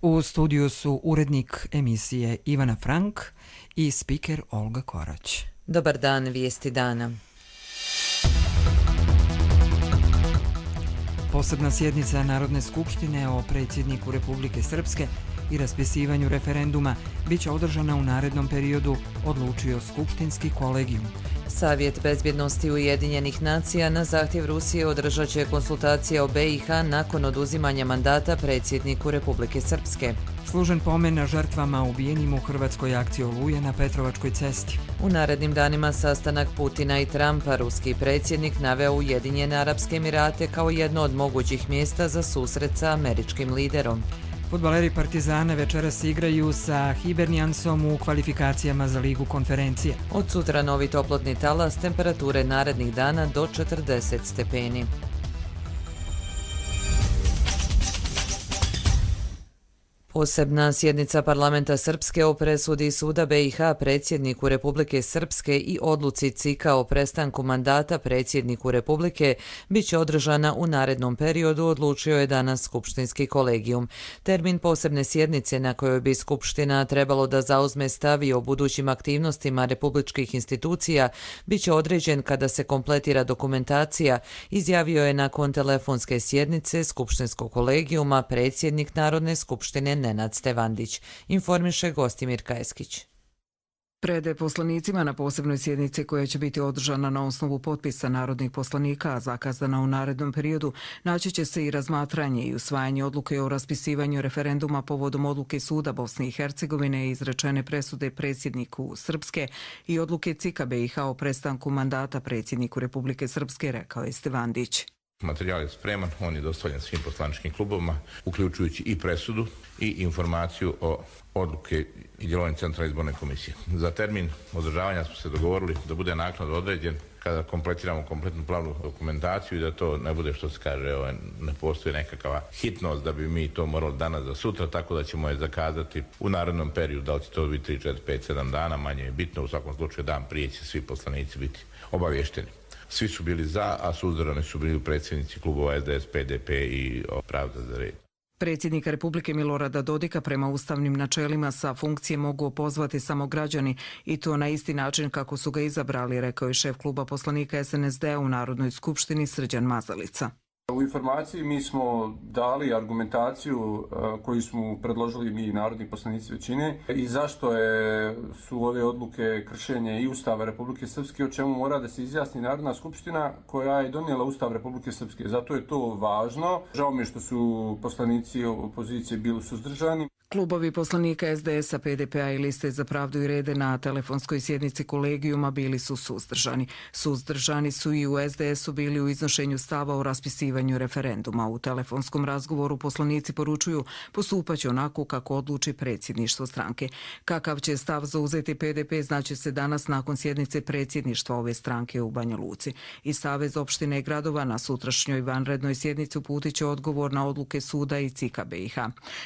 U studiju su urednik emisije Ivana Frank i spiker Olga Korać. Dobar dan, vijesti dana. Posebna sjednica Narodne skupštine o predsjedniku Republike Srpske i raspisivanju referenduma biće održana u narednom periodu, odlučio skupštinski kolegijum. Savjet bezbjednosti Ujedinjenih nacija na zahtjev Rusije održat će konsultacije o BiH nakon oduzimanja mandata predsjedniku Republike Srpske. Služen pomen žrtvama ubijenim u hrvatskoj akciji Oluje na Petrovačkoj cesti. U narednim danima sastanak Putina i Trumpa, ruski predsjednik naveo Ujedinjene Arapske Emirate kao jedno od mogućih mjesta za susret sa američkim liderom. Fudbaleri Partizana večeras igraju sa Hiberniansom u kvalifikacijama za Ligu konferencije. Od sutra novi toplotni talas, temperature narednih dana do 40 stepeni. Posebna sjednica parlamenta Srpske o presudi suda BiH predsjedniku Republike Srpske i odluci CIK-a o prestanku mandata predsjedniku Republike biće održana u narednom periodu, odlučio je danas skupštinski kolegijum. Termin posebne sjednice na kojoj bi skupština trebalo da zauzme stav o budućim aktivnostima republičkih institucija biće određen kada se kompletira dokumentacija, izjavio je nakon telefonske sjednice skupštinskog kolegijuma predsjednik Narodne skupštine Nenad Stevandić, informiše Gostimir Kajeskić. Pred poslanicima na posebnoj sjednici koja će biti održana na osnovu potpisa narodnih poslanika, a zakazana u narednom periodu, naći će se i razmatranje i usvajanje odluke o raspisivanju referenduma povodom odluke Suda Bosne i Hercegovine i izrečene presude predsjedniku Srpske i odluke CIK-a BiH o prestanku mandata predsjedniku Republike Srpske, rekao je Stevandić. Materijal je spreman, on je dostavljen svim poslaničkim klubovima, uključujući i presudu i informaciju o odluke i djelovanju Centralne izborne komisije. Za termin održavanja smo se dogovorili da bude naknadno određen kada kompletiramo kompletnu pravnu dokumentaciju i da to ne bude, što se kaže, ne postoji nekakva hitnost da bi mi to morali danas za sutra, tako da ćemo je zakazati u narednom periodu. Da li će to biti 3, 4, 5, 7 dana, manje je bitno, u svakom slučaju dan prije će svi poslanici biti obavješteni. Svi su bili za, a suzdržani su bili predsjednici klubova SDS, PDP i Pravda za red. Predsjednika Republike Milorada Dodika prema ustavnim načelima sa funkcije mogu opozvati samo građani i to na isti način kako su ga izabrali, rekao je šef kluba poslanika SNSD-a u Narodnoj skupštini Srđan Mazalica. U informaciji mi smo dali argumentaciju koju smo predložili mi narodni poslanici većine i zašto su ove odluke kršenje i Ustava Republike Srpske, o čemu mora da se izjasni Narodna skupština koja je donijela Ustav Republike Srpske. Zato je to važno. Žao mi je što su poslanici opozicije bili suzdržani. Klubovi poslanika SDS-a, PDP-a i Liste za pravdu i rede na telefonskoj sjednici kolegijuma bili su suzdržani. Suzdržani su i u SDS-u bili u iznošenju stava o raspisivanju referenduma. U telefonskom razgovoru poslanici poručuju postupaće onako kako odluči predsjedništvo stranke. Kakav će stav zauzeti PDP znaće se danas nakon sjednice predsjedništva ove stranke u Banja Luci. I Savez opštine i gradova na sutrašnjoj vanrednoj sjednici uputit će odgovor na odluke suda i CIK-a BiH.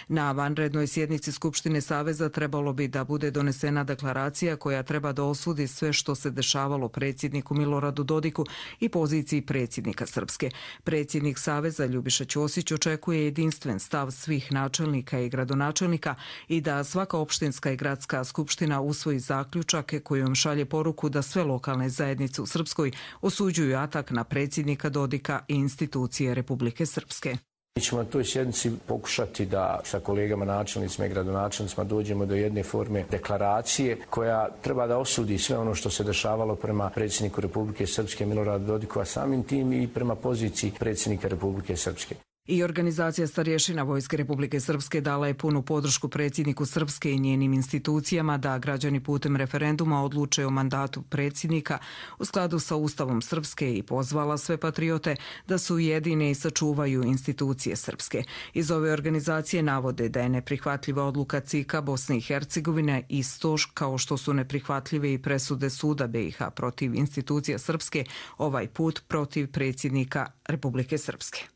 Na vanrednoj sjednici Skupštine Saveza trebalo bi da bude donesena deklaracija koja treba da osudi sve što se dešavalo predsjedniku Miloradu Dodiku i poziciji predsjednika Srpske. Predsjednik Saveza Ljubiša Ćosić očekuje jedinstven stav svih načelnika i gradonačelnika i da svaka opštinska i gradska skupština usvoji zaključak kojom šalje poruku da sve lokalne zajednice u Srpskoj osuđuju atak na predsjednika Dodika i institucije Republike Srpske. Mi ćemo na toj sjednici pokušati da sa kolegama načelnicima i gradonačelnicima dođemo do jedne forme deklaracije koja treba da osudi sve ono što se dešavalo prema predsjedniku Republike Srpske Miloradu Dodiku, a samim tim i prema poziciji predsjednika Republike Srpske. I organizacija starješina Vojske Republike Srpske dala je punu podršku predsjedniku Srpske i njenim institucijama da građani putem referenduma odluče o mandatu predsjednika u skladu sa Ustavom Srpske i pozvala sve patriote da su ujedine i sačuvaju institucije Srpske. Iz ove organizacije navode da je neprihvatljiva odluka CIK-a Bosne i Hercegovine isto kao što su neprihvatljive i presude suda BiH protiv institucija Srpske, ovaj put protiv predsjednika Republike Srpske.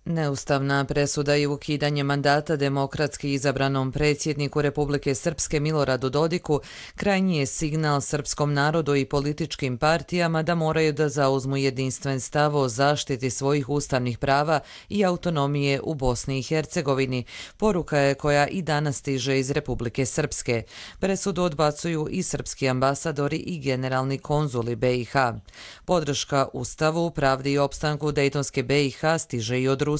Neustavna presuda i ukidanje mandata demokratski izabranom predsjedniku Republike Srpske Miloradu Dodiku krajnji je signal srpskom narodu i političkim partijama da moraju da zauzmu jedinstven stav o zaštiti svojih ustavnih prava i autonomije u Bosni i Hercegovini. Poruka je koja i danas stiže iz Republike Srpske. Presudu odbacuju i srpski ambasadori i generalni konzuli BiH. Podrška Ustavu, pravdi i opstanku Dejtonske BiH stiže i od Rusije.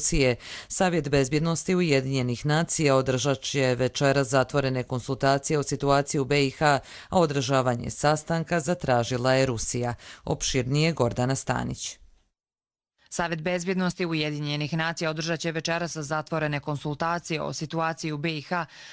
Savjet bezbjednosti Ujedinjenih nacija održat će večeras zatvorene konsultacije o situaciji u BiH, a održavanje sastanka zatražila je Rusija. Opširnije Gordana Stanić. Savjet bezbjednosti Ujedinjenih nacija održat će večeras zatvorene konsultacije o situaciji u BiH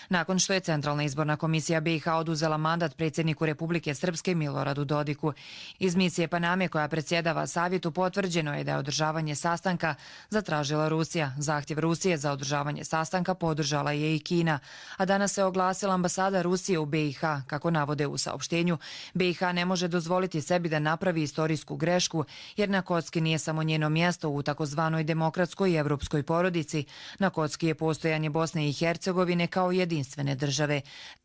nakon što je Centralna izborna komisija BiH oduzela mandat predsjedniku Republike Srpske Miloradu Dodiku. Iz misije Paname koja predsjedava savjetu potvrđeno je da je održavanje sastanka zatražila Rusija. Zahtjev Rusije za održavanje sastanka podržala je i Kina, a danas se oglasila ambasada Rusije u BiH. Kako navode u saopštenju, BiH ne može dozvoliti sebi da napravi istorijsku grešku jer na kocki nije samo njeno mjesto u takozvanoj demokratskoj i evropskoj porodici. Na kocki je postojanje Bosne i Hercegovine kao jedinstvene države.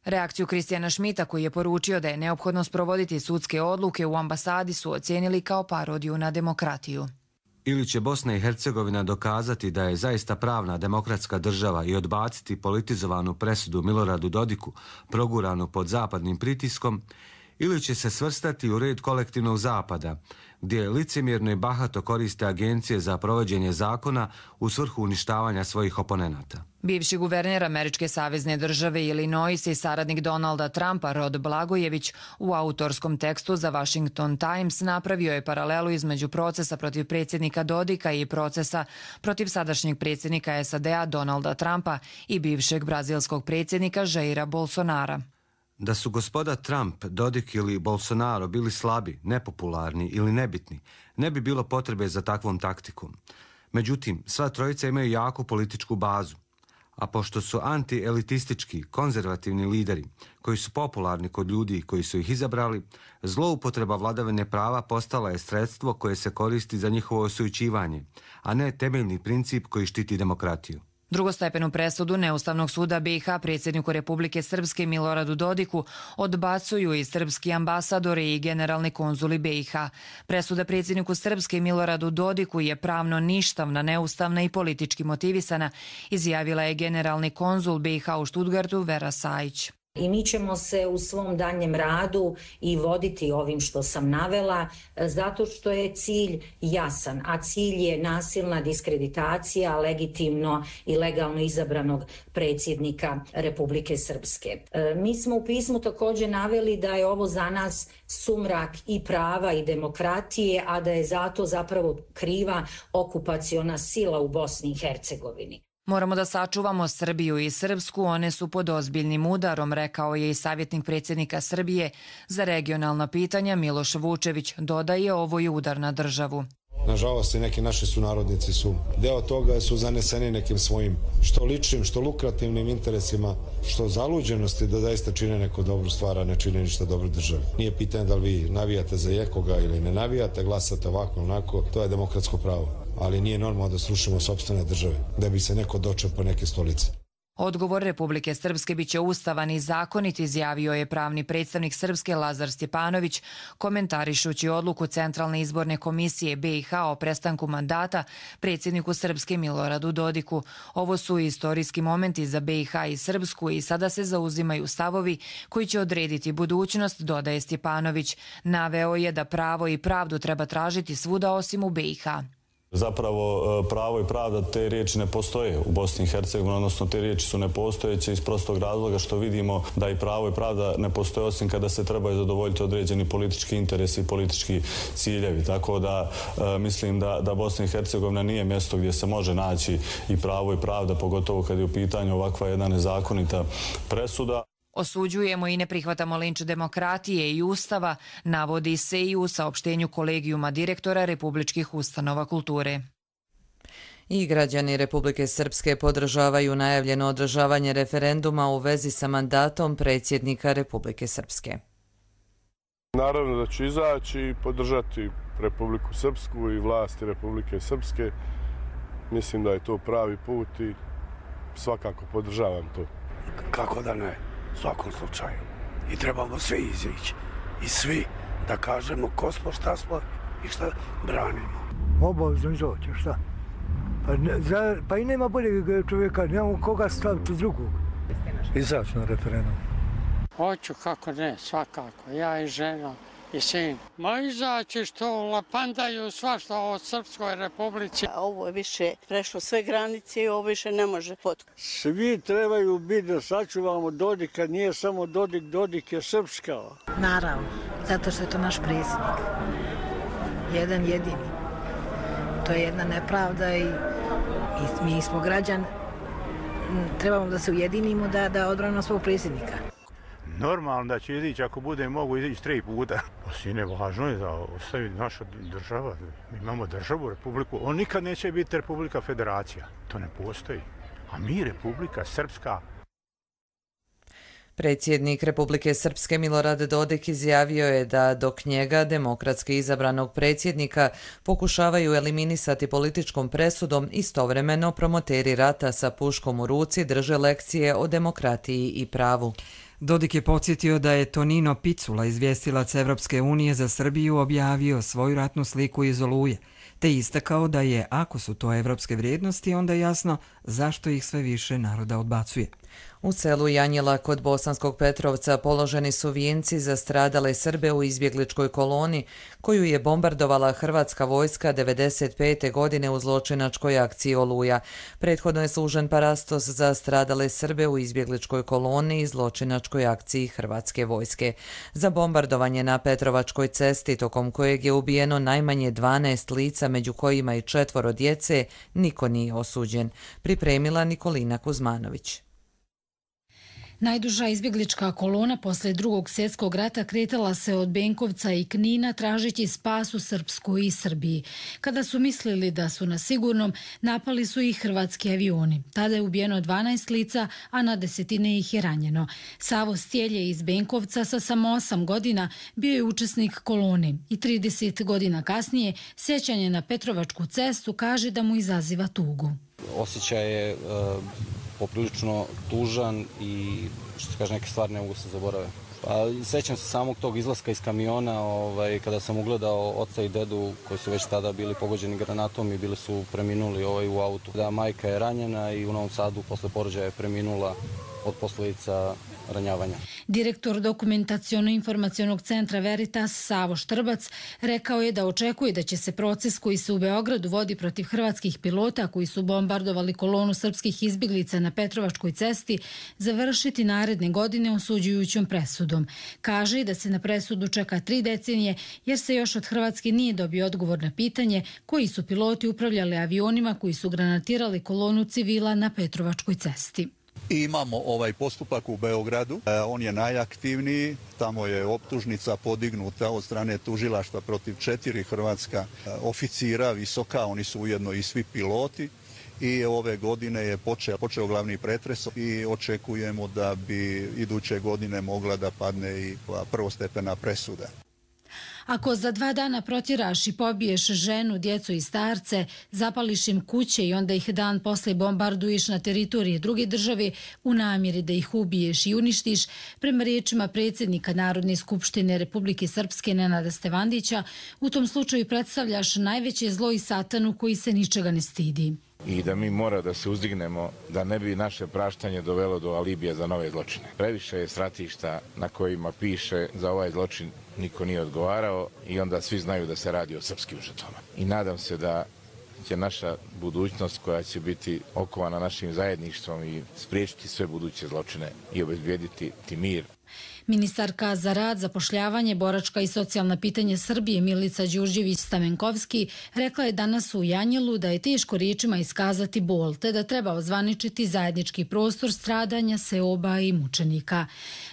Reakciju Kristijana Šmita, koji je poručio da je neophodno sprovoditi sudske odluke u ambasadi, su ocijenili kao parodiju na demokratiju. Ili će Bosna i Hercegovina dokazati da je zaista pravna demokratska država i odbaciti politizovanu presudu Miloradu Dodiku, proguranu pod zapadnim pritiskom, ili će se svrstati u red kolektivnog zapada, gdje licemjerno i bahato koriste agencije za provođenje zakona u svrhu uništavanja svojih oponenata. Bivši guverner američke savezne države Illinois i saradnik Donalda Trumpa Rod Blagojević u autorskom tekstu za Washington Times napravio je paralelu između procesa protiv predsjednika Dodika i procesa protiv sadašnjeg predsjednika SAD-a Donalda Trumpa i bivšeg brazilskog predsjednika Jaira Bolsonara. Da su gospoda Trump, Dodik ili Bolsonaro bili slabi, nepopularni ili nebitni, ne bi bilo potrebe za takvom taktikom. Međutim, sva trojica imaju jaku političku bazu. A pošto su anti-elitistički, konzervativni lideri, koji su popularni kod ljudi koji su ih izabrali, zloupotreba vladavine prava postala je sredstvo koje se koristi za njihovo osujećivanje, a ne temeljni princip koji štiti demokratiju. Drugostepenu presudu Neustavnog suda BiH predsjedniku Republike Srpske Miloradu Dodiku odbacuju i srpski ambasadori i generalni konzuli BiH. Presuda predsjedniku Srpske Miloradu Dodiku je pravno ništavna, neustavna i politički motivisana, izjavila je generalni konzul BiH u Stuttgartu Vera Sajić. I mi ćemo se u svom daljem radu i voditi ovim što sam navela, zato što je cilj jasan, a cilj je nasilna diskreditacija legitimno i legalno izabranog predsjednika Republike Srpske. Mi smo u pismu također naveli da je ovo za nas sumrak i prava i demokratije, a da je zato zapravo kriva okupaciona sila u Bosni i Hercegovini. Moramo da sačuvamo Srbiju i Srpsku, one su pod ozbiljnim udarom, rekao je i savjetnik predsjednika Srbije za regionalna pitanja Miloš Vučević. Dodaje, ovo je udar na državu. Nažalost, i neki naši sunarodnici su deo toga, su zaneseni nekim svojim što ličnim, što lukrativnim interesima, što zaluđenosti da zaista čine neku dobru stvar, a ne čine ništa dobro državi. Nije pitanje da li vi navijate za jekoga ili ne navijate, glasate ovako, onako, to je demokratsko pravo. Ali nije normalno da srušimo sopstvene države, da bi se neko dočepao neke stolice. Odgovor Republike Srpske biće ustavan i zakonit, izjavio je pravni predstavnik Srpske Lazar Stjepanović, komentarišući odluku Centralne izborne komisije BiH o prestanku mandata predsjedniku Srpske Miloradu Dodiku. Ovo su istorijski momenti za BiH i Srpsku i sada se zauzimaju stavovi koji će odrediti budućnost, dodaje Stjepanović. Naveo je da pravo i pravdu treba tražiti svuda osim u BiH. Zapravo pravo i pravda, te riječi ne postoje u Bosni i Hercegovini, odnosno te riječi su nepostojeće iz prostog razloga što vidimo da i pravo i pravda ne postoje osim kada se trebaju zadovoljiti određeni politički interesi i politički ciljevi. Tako da mislim da Bosna i Hercegovina nije mjesto gdje se može naći i pravo i pravda, pogotovo kad je u pitanju ovakva jedna nezakonita presuda. Osuđujemo i ne prihvatamo linč demokratije i ustava, navodi se i u saopštenju kolegijuma direktora Republičkih ustanova kulture. I građani Republike Srpske podržavaju najavljeno održavanje referenduma u vezi sa mandatom predsjednika Republike Srpske. Naravno da ću izaći i podržati Republiku Srpsku i vlasti Republike Srpske Mislim da je to pravi put i svakako podržavam to. Kako da ne, u svakom slučaju. I trebamo svi izići. I svi da kažemo ko smo, šta smo i šta branimo. Obavezno izaći, šta? Pa i nema boljeg čovjeka, nemamo koga staviti drugog. Izaći na referendum. Hoću, kako ne, svakako. Ja i žena i sin. Ma izaći što lapandaju svašta o Srpskoj republici. Ovo je više prešlo sve granice i ovo više ne može potkriti. Svi trebaju biti da sačuvamo Dodik, kad nije samo Dodik, Dodik je srpska. Naravno, zato što je to naš predsjednik. Jedan jedini. To je jedna nepravda i mi smo građani. Trebamo da se ujedinimo da odbranimo svog predsjednika. Normalno da će izići, ako bude mogu izići 3 puta. Sine, važno je da ostavi naša država. Mi imamo državu, republiku. On nikad neće biti Republika Federacija. To ne postoji. A mi, Republika Srpska. Predsjednik Republike Srpske Milorad Dodik izjavio je da dok njega, demokratski izabranog predsjednika, pokušavaju eliminisati političkom presudom, istovremeno promoteri rata sa puškom u ruci drže lekcije o demokratiji i pravu. Dodik je podsjetio da je Tonino Picula, izvjestilac Evropske unije za Srbiju, objavio svoju ratnu sliku iz Oluje, te istakao da je, ako su to evropske vrijednosti, onda je jasno zašto ih sve više naroda odbacuje. U selu Janjela kod Bosanskog Petrovca položeni su vijenci za stradale Srbe u izbjegličkoj koloni koju je bombardovala hrvatska vojska 1995. godine u zločinačkoj akciji Oluja. Prethodno je služen parastos za stradale Srbe u izbjegličkoj koloni i zločinačkoj akciji hrvatske vojske. Za bombardovanje na Petrovačkoj cesti, tokom kojeg je ubijeno najmanje 12 lica, među kojima i 4 djece, niko nije osuđen. Pripremila Nikolina Kuzmanović. Najduža izbjeglička kolona posle Drugog svjetskog rata kretala se od Benkovca i Knina tražeći spas u Srpskoj i Srbiji. Kada su mislili da su na sigurnom, napali su ih hrvatski avioni. Tada je ubijeno 12 lica, a na desetine ih je ranjeno. Savo Stjelje iz Benkovca sa samo 8 godina bio je učesnik kolone i 30 godina kasnije sjećanje na Petrovačku cestu kaže da mu izaziva tugu. Osjećaj je poprilično tužan i što se kaže, neke stvari ne mogu se zaboraviti. Sjećam se samog tog izlaska iz kamiona kada sam ugledao oca i dedu koji su već tada bili pogođeni granatom i bili su preminuli u autu. Da, majka je ranjena i u Novom Sadu posle porođaja je preminula od posljedica ranjavanja. Direktor dokumentaciono-informacionog centra Veritas Savo Štrbac rekao je da očekuje da će se proces koji se u Beogradu vodi protiv hrvatskih pilota koji su bombardovali kolonu srpskih izbjeglica na Petrovačkoj cesti završiti naredne godine osuđujućom presudom. Kaže da se na presudu čeka 3 decenije jer se još od Hrvatske nije dobio odgovor na pitanje koji su piloti upravljali avionima koji su granatirali kolonu civila na Petrovačkoj cesti. I imamo ovaj postupak u Beogradu, on je najaktivniji, tamo je optužnica podignuta od strane tužilaštva protiv 4 hrvatska oficira visoka, oni su ujedno i svi piloti i ove godine je počeo glavni pretres i očekujemo da bi iduće godine mogla da padne i prvostepena presuda. Ako za 2 dana protjeraš i pobiješ ženu, djecu i starce, zapališ im kuće i onda ih dan posle bombarduješ na teritorije druge države u namjeri da ih ubiješ i uništiš, prema riječima predsjednika Narodne skupštine Republike Srpske Nenada Stevandića, u tom slučaju predstavljaš najveće zlo i satanu koji se ničega ne stidi. I da mi mora da se uzdignemo da ne bi naše praštanje dovelo do alibija za nove zločine. Previše je stratišta na kojima piše za ovaj zločin niko nije odgovarao i onda svi znaju da se radi o srpskim žrtvama. I nadam se da će naša budućnost koja će biti okovana našim zajedništvom i spriječiti sve buduće zločine i obezbijediti mir. Ministarka za rad, zapošljavanje, boračka i socijalna pitanja Srbije Milica Đurđević-Stamenkovski rekla je danas u Janjelu da je teško riječima iskazati bol, te da treba ozvaničiti zajednički prostor stradanja, seoba i mučenika.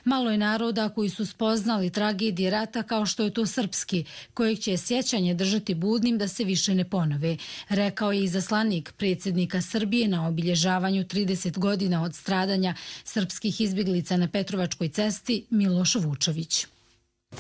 Malo je naroda koji su spoznali tragedije rata kao što je to srpski, kojeg će sjećanje držati budnim da se više ne ponove, rekao je izaslanik predsjednika Srbije na obilježavanju 30 godina od stradanja srpskih izbjeglica na Petrovačkoj cesti Miloš Vučević.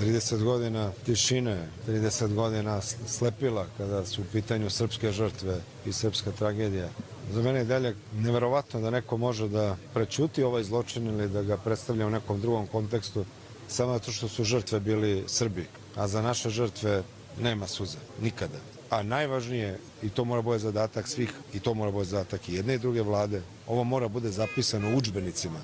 30 godina tišine, 30 godina slepila kada su u pitanju srpske žrtve i srpska tragedija. Za mene je dalje neverovatno da neko može da prećuti ovaj zločin ili da ga predstavlja u nekom drugom kontekstu samo zato što su žrtve bili Srbi, a za naše žrtve nema suze, nikada. A najvažnije, i to mora bude zadatak svih, i to mora bude zadatak i jedne i druge vlade, ovo mora bude zapisano u udžbenicima.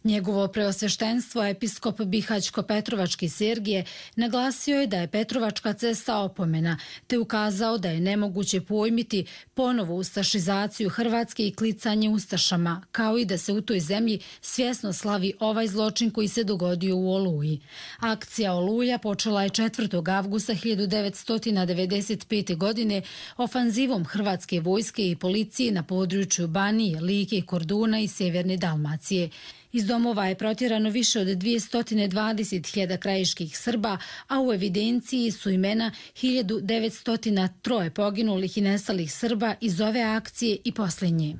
Njegovo preosveštenstvo, episkop Bihaćko-Petrovački Sergije, naglasio je da je Petrovačka cesta opomena, te ukazao da je nemoguće pojmiti ponovu ustašizaciju Hrvatske i klicanje ustašama, kao i da se u toj zemlji svjesno slavi ovaj zločin koji se dogodio u Oluji. Akcija Oluja počela je 4. avgusta 1995. godine ofanzivom Hrvatske vojske i policije na području Banije, Like, Korduna i Sjeverne Dalmacije. Iz domova je protjerano više od 220.000 krajiških Srba, a u evidenciji su imena 1903 poginulih i nestalih Srba iz ove akcije i posljednje.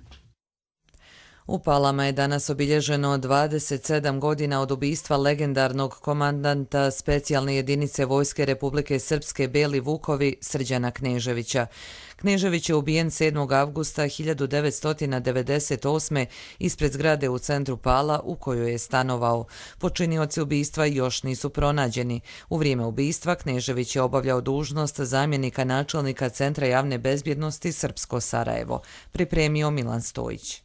U Palama je danas obilježeno 27 godina od ubistva legendarnog komandanta specijalne jedinice Vojske Republike Srpske Beli Vukovi Srđana Kneževića. Knežević je ubijen 7. avgusta 1998. ispred zgrade u centru Pala u kojoj je stanovao. Počinioci ubistva još nisu pronađeni. U vrijeme ubistva Knežević je obavljao dužnost zamjenika načelnika Centra javne bezbjednosti Srpsko Sarajevo. Pripremio Milan Stojić.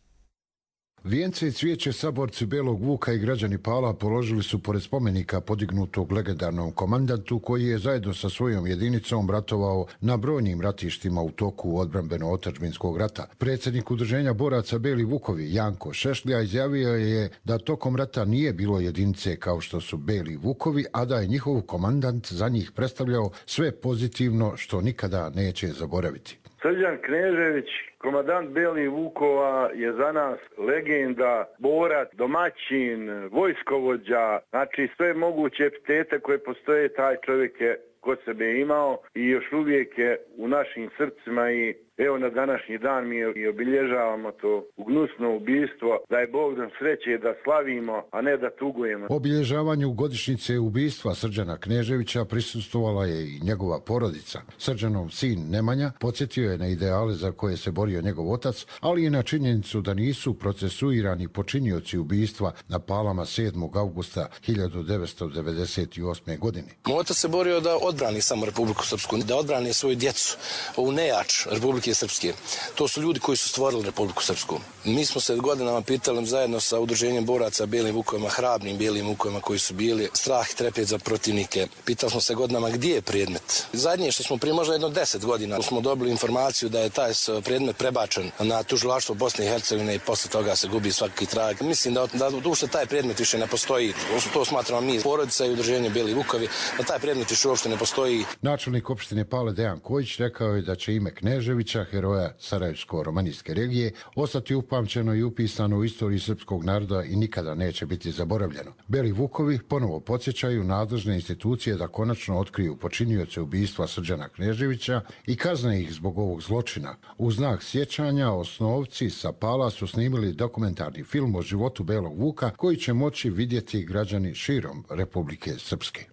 Vijence i cvijeće saborci Belog Vuka i građani Pala položili su pored spomenika podignutog legendarnom komandantu koji je zajedno sa svojom jedinicom ratovao na brojnim ratištima u toku odbrambeno-otadžbinskog rata. Predsjednik udruženja boraca Beli Vukovi Janko Šešlja izjavio je da tokom rata nije bilo jedinice kao što su Beli Vukovi, a da je njihov komandant za njih predstavljao sve pozitivno što nikada neće zaboraviti. Srđan Knežević, komandant Belih Vukova, je za nas legenda, borac, domaćin, vojskovođa, znači sve moguće epitete koje postoje, taj čovjek je kod sebe imao i još uvijek je u našim srcima i evo na današnji dan mi i obilježavamo to gnusno ubistvo, da je Bog nam sreće da slavimo, a ne da tugujemo. Obilježavanju godišnjice ubistva Srđana Kneževića prisustvovala je i njegova porodica. Srđanov sin Nemanja podsjetio je na ideale za koje se borio njegov otac, ali i na činjenicu da nisu procesuirani počinioci ubistva na Palama 7. augusta 1998. godine. Moj otac se borio da odbrani samo Republiku Srpsku, da odbrani svoju djecu, ovu nejač Republike Srpske. To su ljudi koji su stvorili Republiku Srpsku. Mi smo se godinama pitali zajedno sa udruženjem boraca Belim Vukovima, hrabrim Belim Vukovima koji su bili strah i trepet za protivnike. Pitali smo se godinama gdje je predmet. Zadnje što smo prije možda jedno 10 godina smo dobili informaciju da je taj predmet prebačen na tužilaštvo Bosne i Hercegovine i posle toga se gubi svaki trag. Mislim da uopšte taj predmet više ne postoji. To smatramo mi, porodica i udruženje Beli Vukovi, da taj predmet više uopšte ne postoji. Načelnik opštine Pale Dejan Kojić rekao je da će ime Kneževića, heroja Sarajevsko-romanijske regije, ostati upamćeno i upisano u istoriji srpskog naroda i nikada neće biti zaboravljeno. Beli Vukovi ponovo podsjećaju nadležne institucije da konačno otkriju počinioce ubistva Srđana Kneževića i kazne ih zbog ovog zločina. U znak sjećanja osnovci sa Pala su snimili dokumentarni film o životu Belog Vuka koji će moći vidjeti građani širom Republike Srpske.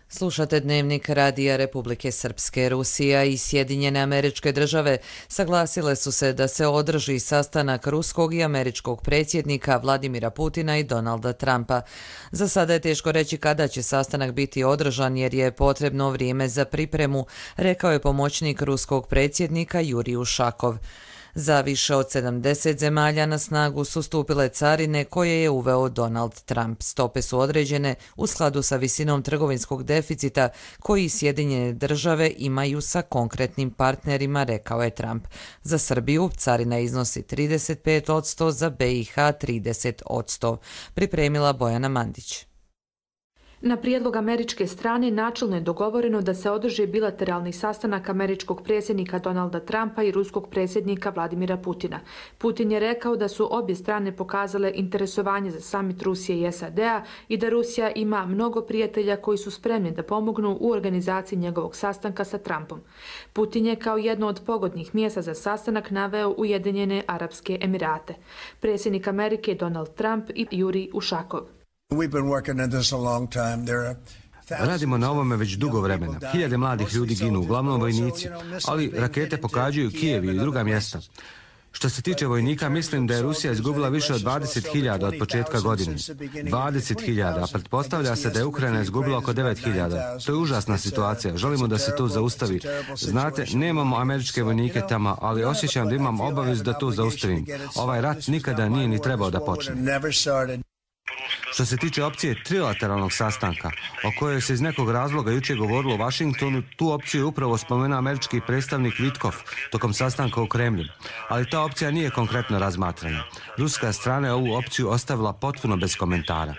Slušate Dnevnik Radija Republike Srpske. Rusija i Sjedinjene Američke Države saglasile su se da se održi sastanak ruskog i američkog predsjednika Vladimira Putina i Donalda Trumpa. Za sada je teško reći kada će sastanak biti održan jer je potrebno vrijeme za pripremu, rekao je pomoćnik ruskog predsjednika Jurij Ušakov. Za više od 70 zemalja na snagu su stupile carine koje je uveo Donald Trump. Stope su određene u skladu sa visinom trgovinskog deficita koji Sjedinjene Države imaju sa konkretnim partnerima, rekao je Trump. Za Srbiju carina iznosi 35%, za BiH 30%. Pripremila Bojana Mandić. Na prijedlog američke strane načelno je dogovoreno da se održi bilateralni sastanak američkog predsjednika Donalda Trumpa i ruskog predsjednika Vladimira Putina. Putin je rekao da su obje strane pokazale interesovanje za samit Rusije i SAD-a i da Rusija ima mnogo prijatelja koji su spremni da pomognu u organizaciji njegovog sastanka sa Trumpom. Putin je kao jedno od pogodnih mjesta za sastanak naveo Ujedinjene Arapske Emirate. Predsjednik Amerike Donald Trump i Jurij Ušakov. Radimo na ovome već dugo vremena. Hiljade mladih ljudi ginu, uglavnom vojnici, ali rakete pogađaju Kijev i druga mjesta. Što se tiče vojnika, mislim da je Rusija izgubila više od 20.000 od početka godine. 20.000, a pretpostavlja se da je Ukrajina izgubila oko 9.000. To je užasna situacija. Želimo da se to zaustavi. Znate, nemamo američke vojnike tamo, ali osjećam da imam obavezu da to zaustavim. Ovaj rat nikada nije ni trebao da počne. Što se tiče opcije trilateralnog sastanka, o kojoj se iz nekog razloga jučer govorilo u Washingtonu, tu opciju je upravo spomenuo američki predstavnik Vitkov tokom sastanka u Kremlju. Ali ta opcija nije konkretno razmatrana. Ruska strana je ovu opciju ostavila potpuno bez komentara.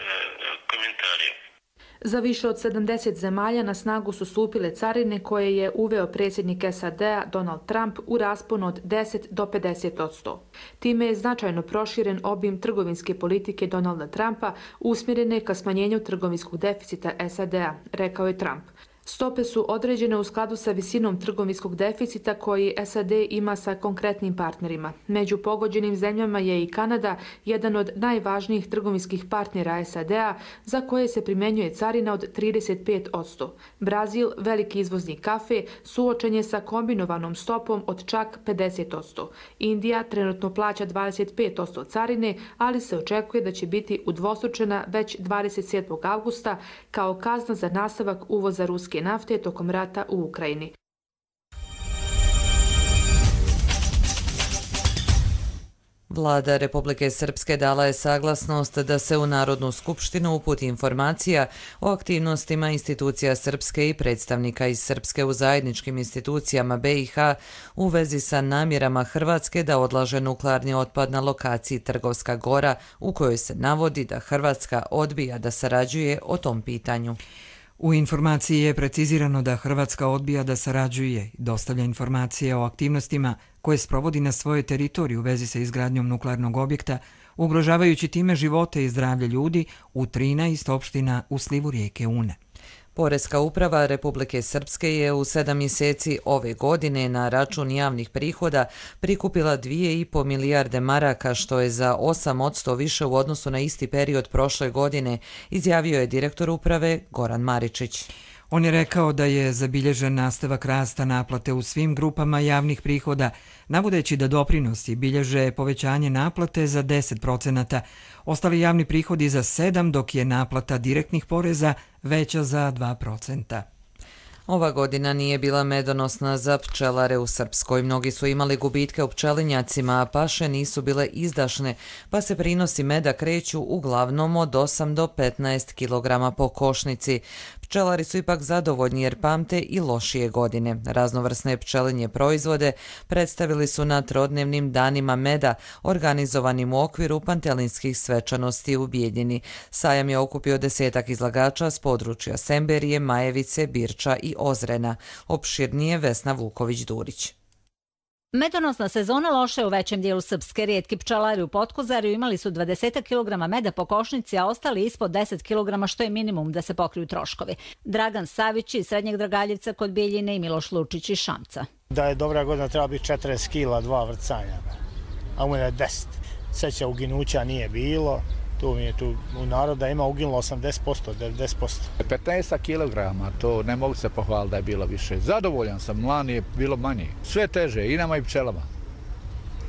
Za više od 70 zemalja na snagu su stupile carine koje je uveo predsjednik SAD-a Donald Trump u rasponu od 10 do 50%. Time je značajno proširen obim trgovinske politike Donalda Trumpa usmjerene ka smanjenju trgovinskog deficita SAD-a, rekao je Trump. Stope su određene u skladu sa visinom trgovinskog deficita koji SAD ima sa konkretnim partnerima. Među pogođenim zemljama je i Kanada, jedan od najvažnijih trgovinskih partnera SAD-a, za koje se primjenjuje carina od 35%. Brazil, veliki izvoznik kafe, suočen je sa kombinovanom stopom od čak 50%. Indija trenutno plaća 25% carine, ali se očekuje da će biti udvostručena već 27. avgusta kao kazna za nastavak uvoza ruske nafte tokom rata u Ukrajini. Vlada Republike Srpske dala je saglasnost da se u Narodnu skupštinu uputi informacija o aktivnostima institucija Srpske i predstavnika iz Srpske u zajedničkim institucijama BiH u vezi sa namjerama Hrvatske da odlaže nuklearni otpad na lokaciji Trgovska Gora, u kojoj se navodi da Hrvatska odbija da sarađuje o tom pitanju. U informaciji je precizirano da Hrvatska odbija da sarađuje i dostavlja informacije o aktivnostima koje sprovodi na svojoj teritoriji u vezi sa izgradnjom nuklearnog objekta, ugrožavajući time živote i zdravlje ljudi u 13 opština u slivu rijeke Une. Poreska uprava Republike Srpske je u 7 mjeseci ove godine na račun javnih prihoda prikupila 2,5 milijarde maraka, što je za 8% više u odnosu na isti period prošle godine, izjavio je direktor uprave Goran Maričić. On je rekao da je zabilježen nastavak rasta naplate u svim grupama javnih prihoda, navodeći da doprinosi bilježe povećanje naplate za 10%, ostali javni prihodi za 7%, dok je naplata direktnih poreza veća za 2%. Ova godina nije bila medonosna za pčelare u Srpskoj. Mnogi su imali gubitke u pčelinjacima, a paše nisu bile izdašne, pa se prinosi meda kreću uglavnom od 8 do 15 kg po košnici. Pčelari su ipak zadovoljni jer pamte i lošije godine. Raznovrsne pčelinje proizvode predstavili su na trodnevnim danima meda, organizovanim u okviru pantelinskih svečanosti u Bijeljini. Sajam je okupio 10-ak izlagača s područja Semberije, Majevice, Birča i Ozrena. Opširnije Vesna Vuković-Durić. Medonosna sezona loša je u većem dijelu Srpske. Rijetki pčelari u Potkozarju imali su 20 kg meda po košnici, a ostali ispod 10 kg, što je minimum da se pokriju troškovi. Dragan Savić iz Srednjeg Dragaljevca kod Bijeljine i Miloš Lučić iz Šamca. Da je dobra godina treba biti 40 kila, 2 vrcanja, a u mene 10. Seća uginuća nije bilo. Tu u naroda ima uginulo 80%, 90%. 15 kilograma, to ne mogu se pohvaliti da je bilo više. Zadovoljan sam, lani je bilo manje. Sve teže, i nama i pčelama.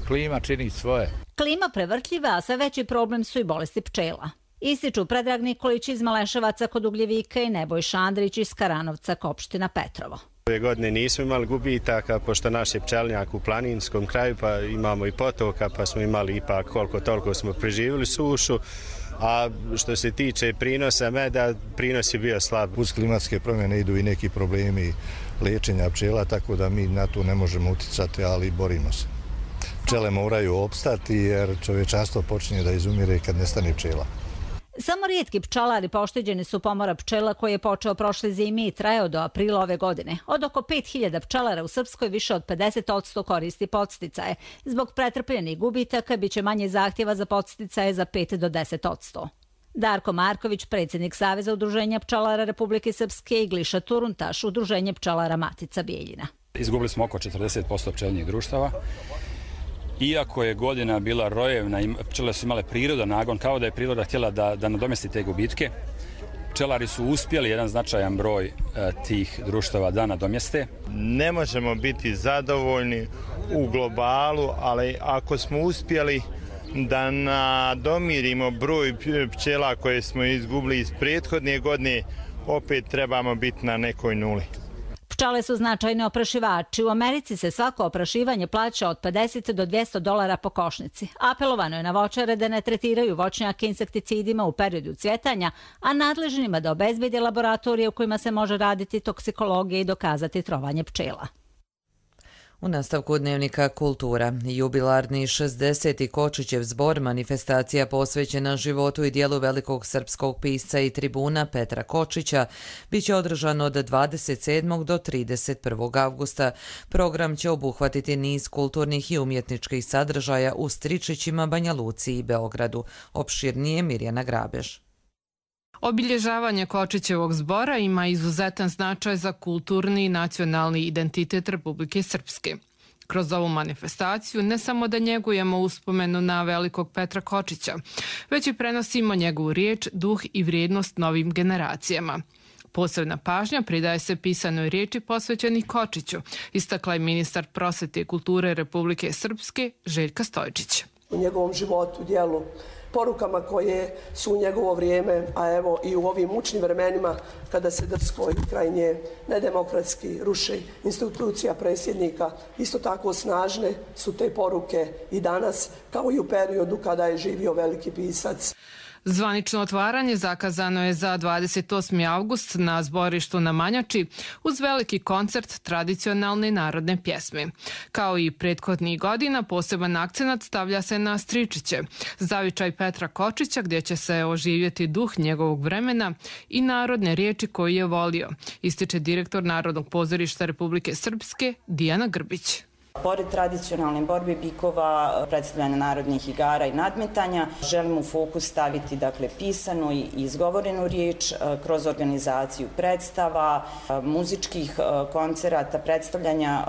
Klima čini svoje. Klima prevrtljiva, a sve veći problem su i bolesti pčela. Ističu Predrag Nikolić iz Maleševaca kod Ugljevika i Nebojša Andrić iz Karanovca, opština Petrovo. Ove godine nismo imali gubitaka, pošto naš je pčelinjak u planinskom kraju, pa imamo i potoka, pa smo imali ipak koliko toliko smo preživjeli sušu. A što se tiče prinosa meda, prinos je bio slab. Uz klimatske promjene idu i neki problemi liječenja pčela, tako da mi na to ne možemo uticati, ali borimo se. Pčele moraju opstati jer čovječanstvo počinje da izumire kad nestane pčela. Samo rijetki pčelari pošteđeni su pomora pčela koji je počeo prošle zime i trajao do aprila ove godine. Od oko 5000 pčelara u Srpskoj više od 50% koristi podsticaje. Zbog pretrpljenih gubitaka biće manje zahtjeva za podsticaje za 5 do 10%. Darko Marković, predsjednik Saveza udruženja pčelara Republike Srpske, i Gliša Turuntaš, udruženje pčelara Matica Bijeljina. Izgubili smo oko 40% pčelinjih društava. Iako je godina bila rojevna, pčele su imale prirodan nagon, kao da je priroda htjela da nadomesti te gubitke. pčelari su uspjeli jedan značajan broj tih društava da nadomjeste. Ne možemo biti zadovoljni u globalu, ali ako smo uspjeli da nadomirimo broj pčela koje smo izgubili iz prethodne godine, opet trebamo biti na nekoj nuli. Pčele su značajni oprašivači. U Americi se svako oprašivanje plaća od $50 do $200 po košnici. Apelovano je na voćare da ne tretiraju voćnjake insekticidima u periodu cvjetanja, a nadležnima da obezbede laboratorije u kojima se može raditi toksikologija i dokazati trovanje pčela. U nastavku dnevnika Kultura, jubilarni 60. Kočićev zbor, manifestacija posvećena životu i dijelu velikog srpskog pisca i tribuna Petra Kočića, bit će održan od 27. do 31. avgusta. Program će obuhvatiti niz kulturnih i umjetničkih sadržaja u Stričićima, Banja Luci i Beogradu. Opširnije Mirjana Grabež. Obilježavanje Kočićevog zbora ima izuzetan značaj za kulturni i nacionalni identitet Republike Srpske. Kroz ovu manifestaciju ne samo da njegujemo uspomenu na velikog Petra Kočića, već i prenosimo njegovu riječ, duh i vrijednost novim generacijama. Posebna pažnja pridaje se pisanoj riječi posvećenih Kočiću, istakla je ministar prosvete i kulture Republike Srpske Željka Stojčić. U njegovom životu, djelu, porukama koje su u njegovo vrijeme, a evo i u ovim mučnim vremenima kada se drsko i krajnje nedemokratski ruši institucija predsjednika, isto tako snažne su te poruke i danas, kao i u periodu kada je živio veliki pisac. Zvanično otvaranje zakazano je za 28. avgust na zborištu na Manjači uz veliki koncert tradicionalne narodne pjesme. Kao i prethodnih godina, poseban akcenat stavlja se na Stričiće, zavičaj Petra Kočića gdje će se oživjeti duh njegovog vremena i narodne riječi koje je volio, ističe direktor Narodnog pozorišta Republike Srpske Dijana Grbić. Pored tradicionalne borbe bikova, predstavljanja narodnih igara i nadmetanja, želimo u fokus staviti pisanu i izgovorenu riječ kroz organizaciju predstava, muzičkih koncerata, predstavljanja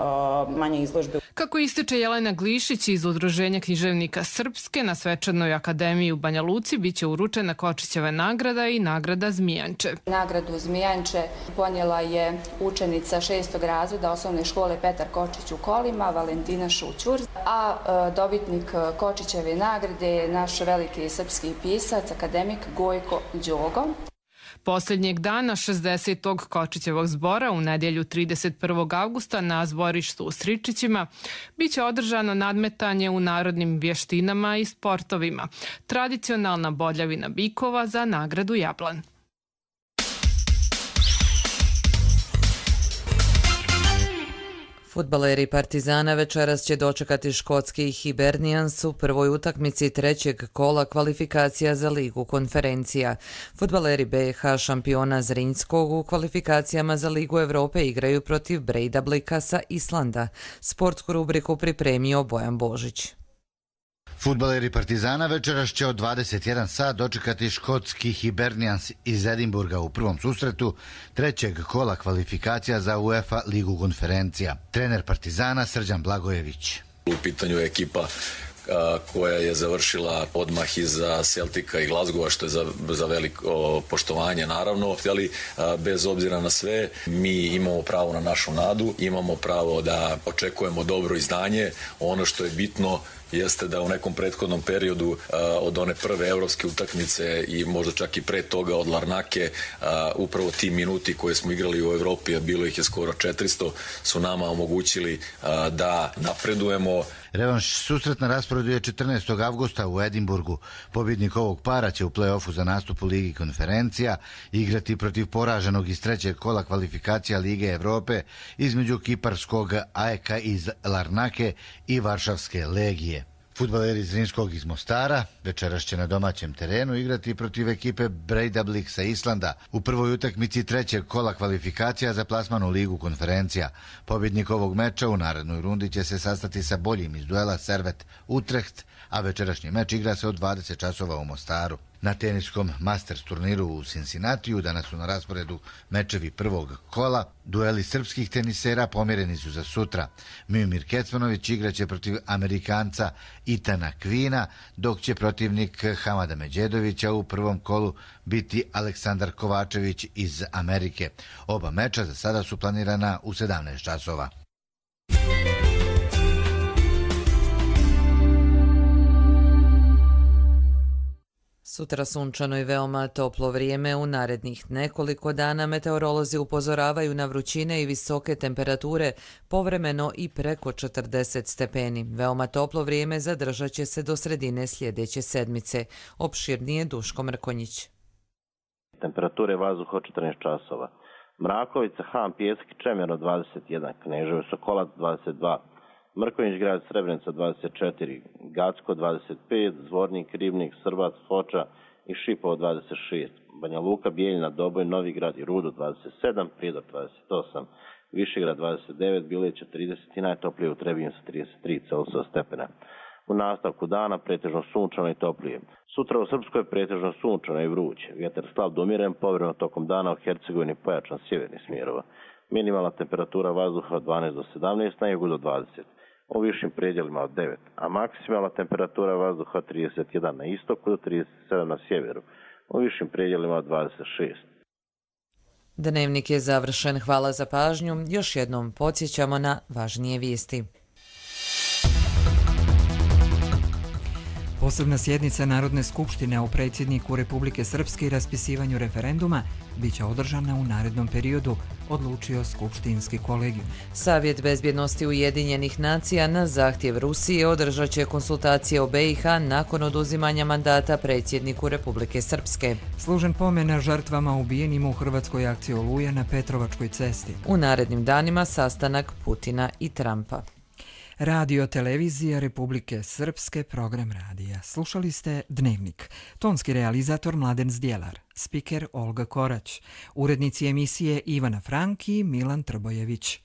manje izložbe. Kako ističe Jelena Glišić iz Udruženja književnika Srpske, na Svečanoj akademiji u Banja Luci biće uručena Kočićeva nagrada i nagrada Zmijanče. Nagradu Zmijanče ponijela je učenica 6. razreda osnovne škole Petar Kočić u Kolima, Valentina Šućur, a dobitnik Kočićeve nagrade je naš veliki srpski pisac, akademik Gojko Đogo. Posljednjeg dana 60. Kočićevog zbora u nedjelju 31. avgusta na zborištu u Stričićima biće održano nadmetanje u narodnim vještinama i sportovima, tradicionalna bodljavina bikova za nagradu Jablan. Fudbaleri Partizana večeras će dočekati škotski Hibernians u prvoj utakmici trećeg kola kvalifikacija za Ligu konferencija. Fudbaleri BiH šampiona Zrinjskog u kvalifikacijama za Ligu Evrope igraju protiv Breidablika sa Islanda. Sportsku rubriku pripremio Bojan Božić. Fudbaleri Partizana večeras će od 21 sat dočekati škotski Hibernians iz Edinburga u prvom susretu trećeg kola kvalifikacija za UEFA Ligu konferencija. Trener Partizana Srđan Blagojević. U pitanju je ekipa koja je završila odmah iza Celtica i Glasgowa, što je za veliko poštovanje naravno. Ali bez obzira na sve, mi imamo pravo na našu nadu, imamo pravo da očekujemo dobro izdanje. Ono što je bitno jeste da u nekom prethodnom periodu od one prve evropske utakmice i možda čak i pre toga od Larnake, upravo ti minuti koje smo igrali u Evropi, a bilo ih je skoro 400, su nama omogućili da napredujemo. Revanš susret na rasporedu je 14. avgusta u Edinburgu. Pobjednik ovog para će u play-offu za nastup u Ligi konferencija igrati protiv poraženog iz trećeg kola kvalifikacija Lige Evrope između kiparskog AEK iz Larnake i Varšavske Legije. Fudbaleri Zrinjskog iz Mostara večeras će na domaćem terenu igrati protiv ekipe Breidablik sa Islanda u prvoj utakmici trećeg kola kvalifikacija za plasman u Ligu konferencija. Pobjednik ovog meča u narednoj rundi će se sastati sa boljim iz duela Servet Utrecht, a večerašnji meč igra se od 20 časova u Mostaru. Na teniskom Masters turniru u Cincinnatiju danas su na rasporedu mečevi prvog kola. Dueli srpskih tenisera pomjereni su za sutra. Miomir Kecmanović igraće protiv Amerikanca Etana Quina, dok će protivnik Hamada Medjedovića u prvom kolu biti Aleksandar Kovačević iz Amerike. Oba meča za sada su planirana u 17 časova. Sutra sunčano i veoma toplo vrijeme. U narednih nekoliko dana meteorolozi upozoravaju na vrućine i visoke temperature, povremeno i preko 40 stepeni. Veoma toplo vrijeme zadržat će se do sredine sljedeće sedmice. Opširnije Duško Mrkonjić. Temperature vazduha 14 časova. Mrakovica, Han, Pijesak i Čemerno 21, Kneževo, Sokolac 22, Mrkonjić grad, Srebrenica 24, Gacko 25, Zvornik, Ribnik, Srbac, Foča i Šipovo 26, Banja Luka, Bijeljina, Doboj, Novigrad i Rudo 27, Prijedor 28, Višegrad 29, Bileća 30 i najtoplije u Trebinju sa 33 Celzijusova stepena. U nastavku dana pretežno sunčano i toplije. Sutra u Srpskoj pretežno sunčano i vruće. Vjetar slab do umiren, povremeno tokom dana u Hercegovini pojačan sjevernih smjerova. Minimalna temperatura vazduha od 12 do 17, na jugu do 20. U višim predjelima od 9, a maksimalna temperatura vazduha od 31 na istoku do 37 na sjeveru. U višim predjelima od 26. Dnevnik je završen. Hvala za pažnju. Još jednom podsjećamo na važnije vijesti. Posebna sjednica Narodne skupštine o predsjedniku Republike Srpske i raspisivanju referenduma biće održana u narednom periodu, odlučio Skupštinski kolegijum. Savjet bezbjednosti Ujedinjenih nacija na zahtjev Rusije održat će konsultacije o BiH nakon oduzimanja mandata predsjedniku Republike Srpske. Služen pomen žrtvama ubijenim u hrvatskoj akciji Oluja na Petrovačkoj cesti. U narednim danima sastanak Putina i Trumpa. Radio televizija Republike Srpske, program radija. Slušali ste Dnevnik. Tonski realizator Mladen Zdjelar, spiker Olga Korać, urednici emisije Ivana Frank i Milan Trbojević.